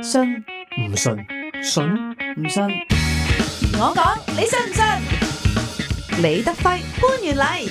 信唔信？信？唔信？我講，你信唔信？李德輝、潘源禮。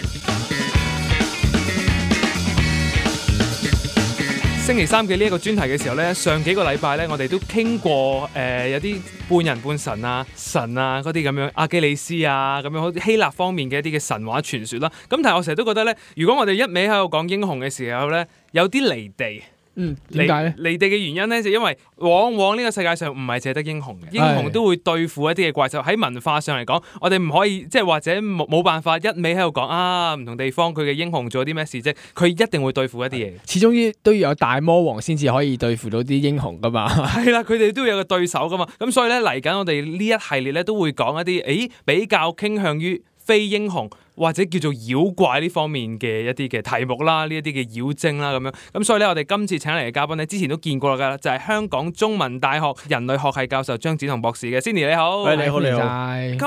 星期三嘅呢一個專題嘅時候呢，上幾個禮拜呢，我哋都傾過有啲半人半神啊、神啊嗰啲咁樣，阿基里斯啊咁樣，好似希臘方面嘅一啲嘅神話傳說啦。咁但係我成日都覺得呢，如果我哋一味喺度講英雄嘅時候呢，有啲離地。點解咧？離地嘅原因咧，就因為往往呢個世界上唔係淨係得英雄嘅，英雄都會對付一啲嘅怪獸。喺文化上嚟講，我哋唔可以即係或者冇辦法一味喺度講啊，唔同地方佢嘅英雄做咗啲咩事啫，佢一定會對付一啲嘢。始終都要有大魔王先至可以對付到啲英雄噶嘛。係啦，佢哋都要有個對手噶嘛。咁所以咧，嚟緊我哋呢一系列咧都會講一啲比較傾向於非英雄或者叫做妖怪呢方面嘅一啲嘅題目啦，呢一啲嘅妖精啦咁樣。咁所以咧，我哋今次請嚟嘅嘉賓咧，之前都見過㗎，就係香港中文大學人類學系教授張梓同博士嘅。Cindy 你好，你好你好。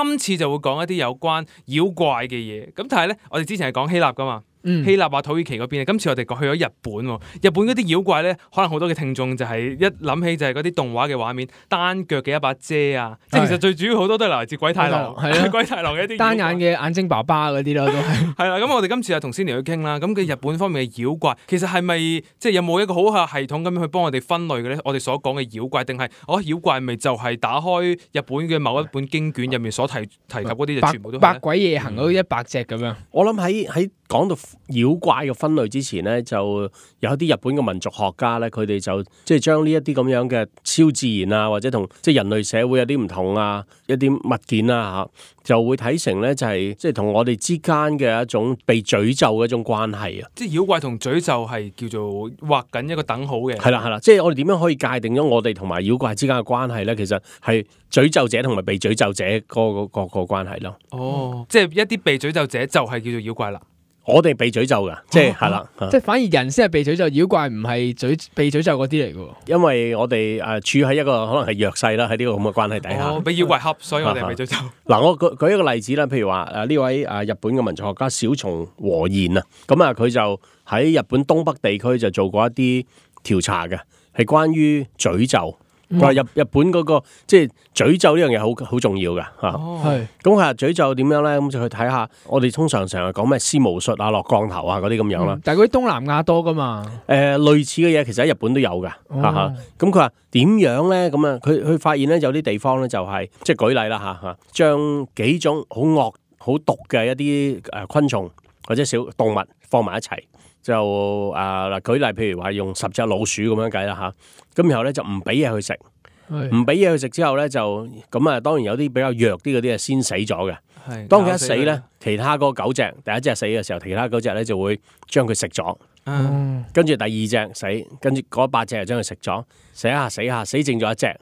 今次就會講一啲有關妖怪嘅嘢。咁但係咧，我哋之前係講希臘㗎嘛。希臘啊、土耳其嗰邊，今次我哋去咗日本喎。日本嗰啲妖怪咧，可能好多嘅聽眾就係一諗起就係嗰啲動畫嘅畫面，單腳嘅一把遮啊，即係其實最主要好多都係來自鬼太郎，係鬼太郎嘅一啲單眼嘅眼睛爸爸嗰啲咯，都係。係啦，咁我哋今次就同 Cindy 去傾啦。咁嘅日本方面嘅妖怪，其實係咪即係有冇一個好嘅系統咁樣去幫我哋分類嘅咧？我哋所講嘅妖怪，定係妖怪咪就係打開日本嘅某一本經卷入面所提及嗰啲就全部都係百鬼夜行嗰100隻咁樣。我諗喺講到妖怪嘅分類之前咧，就有啲日本嘅民族學家咧，佢哋就即係將呢一啲咁樣嘅超自然啊，或者同即係人類社會有啲唔同啊，一啲物件啊嚇，就會睇成咧就係即係同我哋之間嘅一種被詛咒嘅一種關係啊。即係妖怪同詛咒係叫做畫緊一個等號嘅。係啦，即係我哋點樣可以界定咗我哋同埋妖怪之間嘅關係咧？其實係詛咒者同埋被詛咒者個關係咯。哦，即係一啲被詛咒者就係叫做妖怪啦。我哋被詛咒噶，即係係啦，即係反而人先係被詛咒，妖怪唔係被詛咒嗰啲嚟嘅。因為我哋處喺一個可能係弱勢啦，喺呢個咁嘅關係底下，俾妖怪恰，所以我哋被詛咒。嗱，我舉一個例子啦，譬如話呢位日本嘅民族學家小松和彥啊，咁啊佢就喺日本東北地區就做過一啲調查嘅，係關於詛咒。佢話日本嗰個即係詛咒呢樣嘢好重要㗎嚇，咁佢話詛咒點樣咧？咁就去睇下，我哋通常成日講咩施巫術啊、落降頭啊嗰啲咁樣啦。但係嗰啲東南亞多㗎嘛？類似嘅嘢其實喺日本都有㗎嚇。咁佢話點樣咧？咁啊，佢發現咧有啲地方咧就係即係舉例啦嚇，將幾種好惡好毒嘅一啲昆蟲或者小動物放埋一齊。就舉例，譬如話用10隻老鼠咁樣計啦嚇，咁然後咧就唔俾嘢佢食，唔俾嘢佢食之後咧就咁啊，當然有啲比較弱啲嗰啲係先死咗嘅。當佢一死咧，其他嗰9隻，第一隻死嘅時候，其他9隻咧就會將佢食咗，跟住第二隻死，跟住嗰8隻就將佢食咗，死下死剩咗一隻，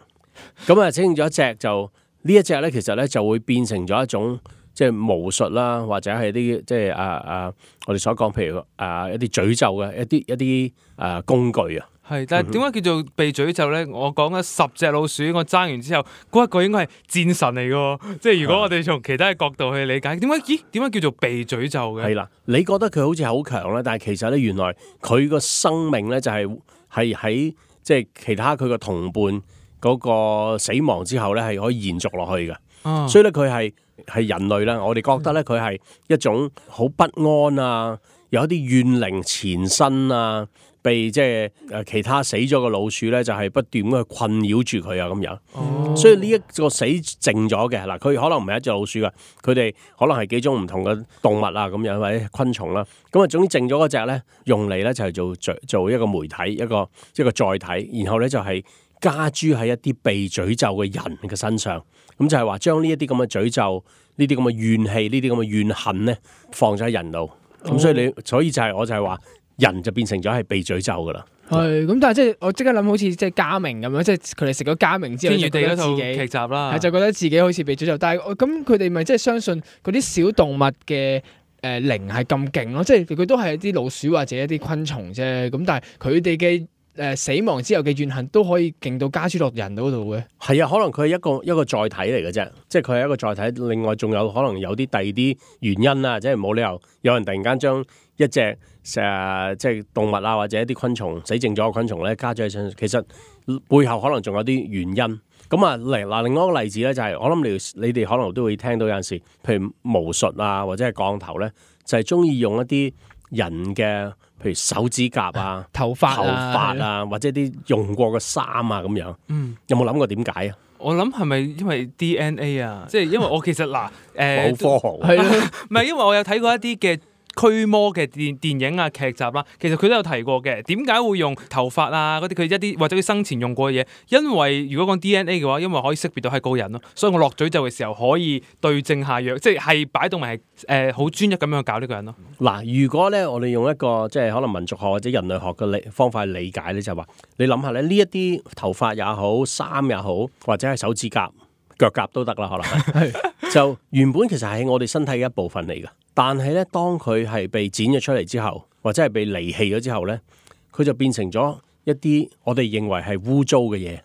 咁啊死剩咗一隻就呢一隻咧，其實咧就會變成咗一種。即係巫術啦，或者係啲即係我哋所講，譬如一啲詛咒嘅一啲工具啊。係，但係點解叫做被詛咒咧？我講咗10隻老鼠，我爭完之後，嗰一個應該係戰神嚟嘅。即係如果我哋從其他嘅角度去理解，點解叫做被詛咒嘅？係啦，你覺得佢好似好強咧，但係其實咧原來佢個生命咧就係喺即係其他佢個同伴嗰個死亡之後咧係可以延續落去嘅。所以咧佢係人類啦，我哋覺得咧佢係一種好不安啊，有一啲怨靈纏身啊，被即係其他死咗嘅老鼠咧，就係不斷咁去困擾住佢啊咁樣。所以呢一個死剩咗嘅嗱，佢可能唔係一隻老鼠噶，佢哋可能係幾種唔同嘅動物啊咁樣或者昆蟲啦。咁啊，總之剩咗嗰隻咧，用嚟咧就係做一個媒體，一個載體，然後咧就係加諸喺一啲被詛咒嘅人嘅身上。咁就係話將呢一啲咁嘅詛咒、呢啲咁嘅怨氣、呢啲咁嘅怨恨咧，放咗喺人度。咁所以我就係話，人就變成咗係被詛咒噶啦。係咁，但係即係我即刻諗，好似即係家明咁樣，即係佢哋食咗家明之後，天與地嗰套劇集啦，就覺得自己好似被詛咒。但係咁佢哋咪即係相信嗰啲小動物嘅靈係咁勁咯？即係佢都係一啲老鼠或者一啲昆蟲啫。咁但係佢哋嘅死亡之後嘅怨恨都可以勁到加諸落人嗰度嘅。係啊，可能佢係一個載體嚟嘅啫，即係佢係一個載體。另外仲有可能有啲第二啲原因啊，即係冇理由有人突然間將一隻即係動物啊，或者一啲昆蟲死剩咗嘅昆蟲咧加咗喺身上，其實背後可能仲有啲原因。咁啊，另外一個例子咧就係、我諗你哋可能都會聽到有陣時，譬如巫術啊，或者係降頭咧，就係中意用一啲人嘅，譬如手指甲啊、頭髮啊，或者啲用過嘅衫啊咁樣。有冇諗過點解啊？我諗係咪因為 DNA 啊？即係因為我其實好科學係咯，唔係因為我有睇過一啲嘅驅魔嘅電影啊劇集啦，其實佢都有提過嘅。點解會用頭髮啊嗰啲佢一啲或者佢生前用過嘅嘢？因為如果講 DNA 嘅話，因為可以識別到係個人咯，所以我落詛咒嘅時候可以對症下藥，即係擺到埋係好專一咁樣去搞呢個人咯。嗱，如果咧我哋用一個即係可能民族學或者人類學嘅方法去理解咧，就係話你諗下咧，呢一啲頭髮也好、衫也好，或者係手指甲、腳甲都得啦，可能就原本其實係我哋身體嘅一部分嚟㗎。但係咧，當佢係被剪咗出嚟之後，或者係被離棄咗之後咧，佢就變成咗一啲我哋認為係污糟嘅嘢。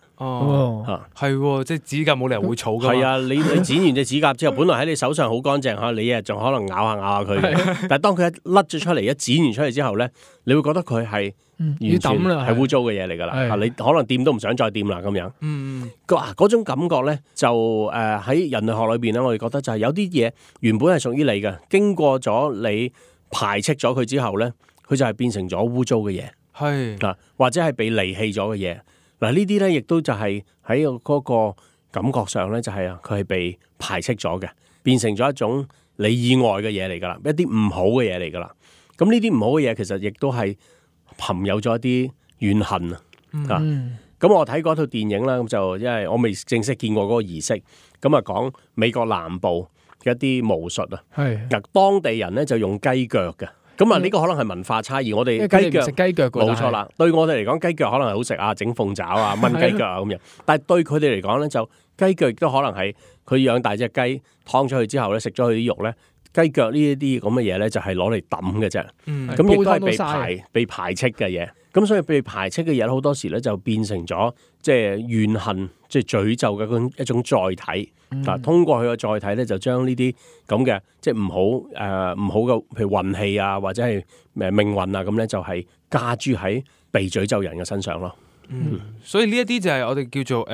係即係指甲冇理由會草㗎嘛。係啊，你剪完隻指甲之後，本來喺你手上好乾淨嚇，你仲可能咬下佢嘅。但係當佢一甩咗出嚟，一剪完出嚟之後咧，你會覺得佢係完全係污糟嘅嘢嚟㗎啦。你可能掂都唔想再掂啦咁樣。嗰種感覺咧，就喺人類學裏邊咧，我哋覺得就係有啲嘢原本係屬於你嘅，經過咗你排斥咗佢之後咧，佢就係變成咗污糟嘅嘢。係或者係被離棄咗嘅嘢。嗱，呢啲咧亦都就係喺嗰個感覺上咧，就係佢係被排斥咗嘅，變成咗一種你以外嘅嘢嚟㗎啦，一啲唔好嘅嘢嚟㗎啦。咁呢啲唔好嘅嘢其實亦都係含有咗一啲怨恨啊。咁我睇過一套電影啦，咁就因為我未正式見過嗰個儀式，咁啊講美國南部嘅一啲巫術啊。嗱，當地人咧就用雞腳嘅。咁啊，呢個可能係文化差異。我哋雞腳食雞腳冇錯啦。對我哋嚟講，雞腳可能係好食啊，整鳳爪啊，炆雞腳啊咁樣。但係對佢哋嚟講咧，就雞腳亦都可能係佢養大隻雞，劏咗佢之後咧，食咗佢啲肉咧，雞腳呢一啲咁嘅嘢咧，就係攞嚟抌嘅啫。咁亦都係被排斥嘅嘢。咁所以被排斥嘅嘢好多時咧就變成咗即係怨恨、即係詛咒嘅一種載體。通過佢個載體咧，就將呢啲咁嘅即係唔好嘅，譬如運氣啊，或者係命運啊，咁咧就係加諸喺被詛咒人嘅身上咯。所以呢一啲就係我哋叫做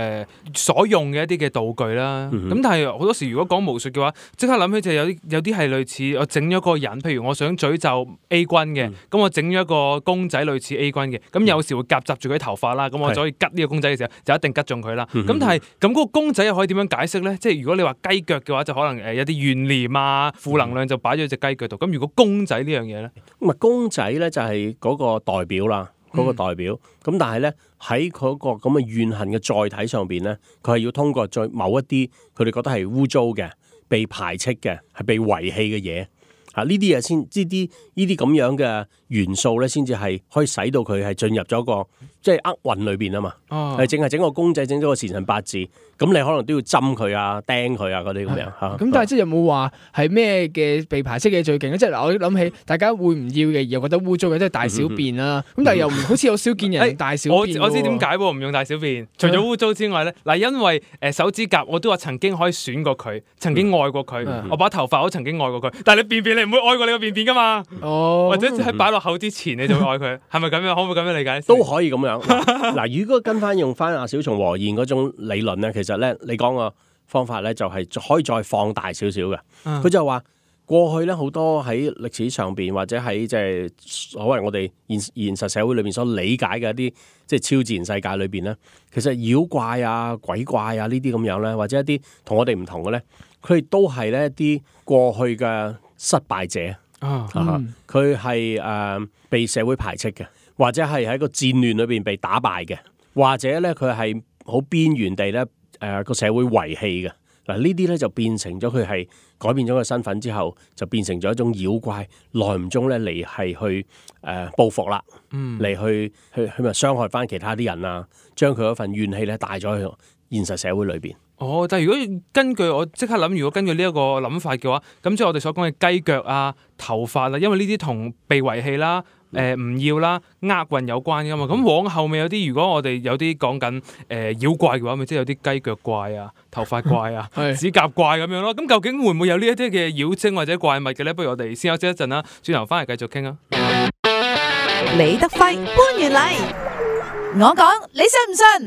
所用嘅一啲嘅道具啦。咁但係好多時如果講巫術嘅話，即刻諗起就有啲係類似我整咗個人，譬如我想詛咒 A 君嘅，咁我整咗一個公仔類似 A 君嘅，咁有時會夾雜住佢啲頭髮啦，咁我就可以吉呢個公仔嘅時候就一定吉中佢啦。咁但係咁嗰個公仔又可以點樣解釋咧？即係如果你話雞腳嘅話，就可能有啲怨念啊、負能量就擺咗喺隻雞腳度。咁如果公仔呢樣嘢咧，咁啊公仔咧就係嗰個代表啦。嗰個代表，咁但係咧喺嗰個咁嘅怨恨嘅載體上邊咧，佢係要通過再某一啲佢哋覺得係污糟嘅、被排斥嘅、係被遺棄嘅嘢，呢啲嘢先，呢啲咁樣嘅元素咧，先至係可以使到佢係進入咗個即係厄運裏邊啊嘛。係淨係整個公仔，整咗個時辰八字，咁你可能都要針佢啊、釘佢啊嗰啲咁樣嚇。咁但係即係有冇話係咩嘅被排斥嘅最勁咧？即係嗱，我諗起大家會唔要嘅，又覺得污糟嘅，即係大小便啦。咁但係又好似有少見人大小便。我知點解喎，唔用大小便。除咗污糟之外咧，嗱，因為手指甲我都話曾經可以選過佢，曾經愛過佢。我把頭髮我曾經愛過佢，但係你便便你唔會愛過你個便便噶嘛？或者喺擺落口之前你就會愛佢，係咪咁樣？可唔可以咁樣理解？都可以咁樣。嗱，如果用翻阿小松和彥嗰種理論咧，其實咧你講個方法咧就係可以再放大少少嘅。佢就話過去咧好多喺歷史上邊或者喺即係所謂我哋現實社會裏邊所理解嘅一啲即係超自然世界裏邊咧，其實妖怪啊、鬼怪啊呢啲咁樣咧，或者一啲同我哋唔同嘅咧，佢哋都係咧一啲過去嘅失敗者。佢係被社會排斥嘅，或者係喺個戰亂裏邊被打敗嘅，或者咧佢係好邊緣地咧個社會遺棄嘅。嗱，呢啲咧就變成咗佢係改變咗個身份之後，就變成咗一種妖怪，耐唔中咧嚟係去報復啦，嚟去咪傷害翻其他啲人啊，將佢嗰份怨氣咧帶咗去現實社會裏邊。但係如果根據我即刻諗，如果根據呢一個諗法嘅話，咁即係我哋所講嘅雞腳啊、頭髮啊，因為呢啲同被遺棄啦、唔要啦，厄運有關噶嘛。咁往後面有啲，如果我哋有啲講緊妖怪嘅話，咪即係有啲雞腳怪啊、頭髮怪啊、指甲怪咁樣咯。咁究竟會唔會有呢一啲嘅妖精或者怪物嘅咧？不如我哋先休息一陣啦，轉頭翻嚟繼續傾啊。李德輝搬完嚟，我講你信唔信？